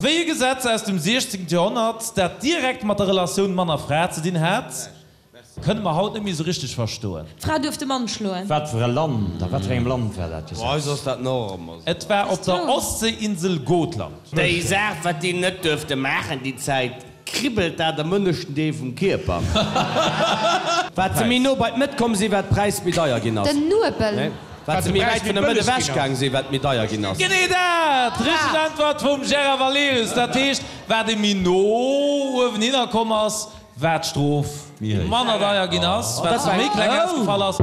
Wéi e Gesetz aus dem 16. Joerhonnert, dat direkt mat der Relatioun Mann a Fra ze dinn hat, kënne mer haut net méi esou richteg verstoen. D'Fra duerf de Mann schloen. Wat fir e Land, a wat fir engem Land war dat Gesetz? Bei eis ass dat nach ëmmer esou. Et war op der Ostséinsel Gotland. Déi Saach, wat déi net duerfte maachen déi Zäit, kribbelt dat am ënneschten Deel vum Kierper. Wat se méi no bei d'Mëtt komm sinn, wat d'Präis méi deier ginn ass. Den Nuebel. Wat se méi wäit vun der Mëtt ewech gaang sinn, wat méi deier ginn ass. Genee dat! Richteg Äntwert vum Gérard Valerius. Dat heescht, wat ee méi no uewenhinner komm ass, wat d'Strof manner deier ginn ass, wat se méi kleng ausgefall ass.